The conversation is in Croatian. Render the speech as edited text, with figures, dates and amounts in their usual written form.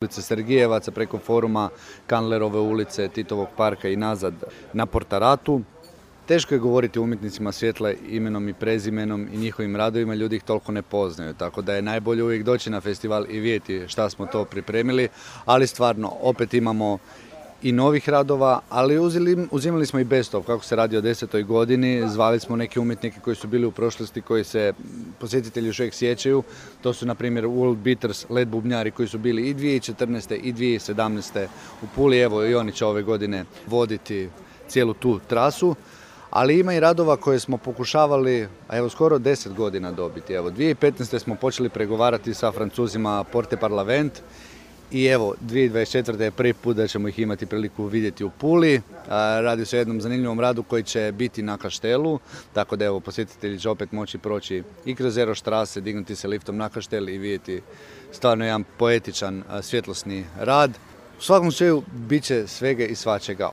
ulice Sergijevaca preko foruma, Kandlerove ulice, Titovog parka i nazad na Portaratu. Teško je govoriti o umjetnicima svjetla imenom i prezimenom i njihovim radovima, ljudi ih toliko ne poznaju, tako da je najbolje uvijek doći na festival i vidjeti šta smo to pripremili, ali stvarno opet imamo i novih radova, ali uzimali smo i best of, kako se radi o 10. godini, zvali smo neke umjetnike koji su bili u prošlosti, koji se posjetitelji još uvijek sjećaju. To su na primjer World Beaters, led bubnjari koji su bili i 2014. i 2017. u Puli, evo i oni će ove godine voditi cijelu tu trasu. Ali ima i radova koje smo pokušavali, a evo skoro 10 godina dobiti. Evo 2015. smo počeli pregovarati sa Francuzima Porte Parlament i evo 2024. je prvi put da ćemo ih imati priliku vidjeti u Puli. Radi se o jednom zanimljivom radu koji će biti na Kaštelu, tako da evo posjetitelji će opet moći proći i kroz Eroštrase, dignuti se liftom na Kaštel i vidjeti stvarno jedan poetičan svjetlosni rad. U svakom slučaju bit će svega i svačega.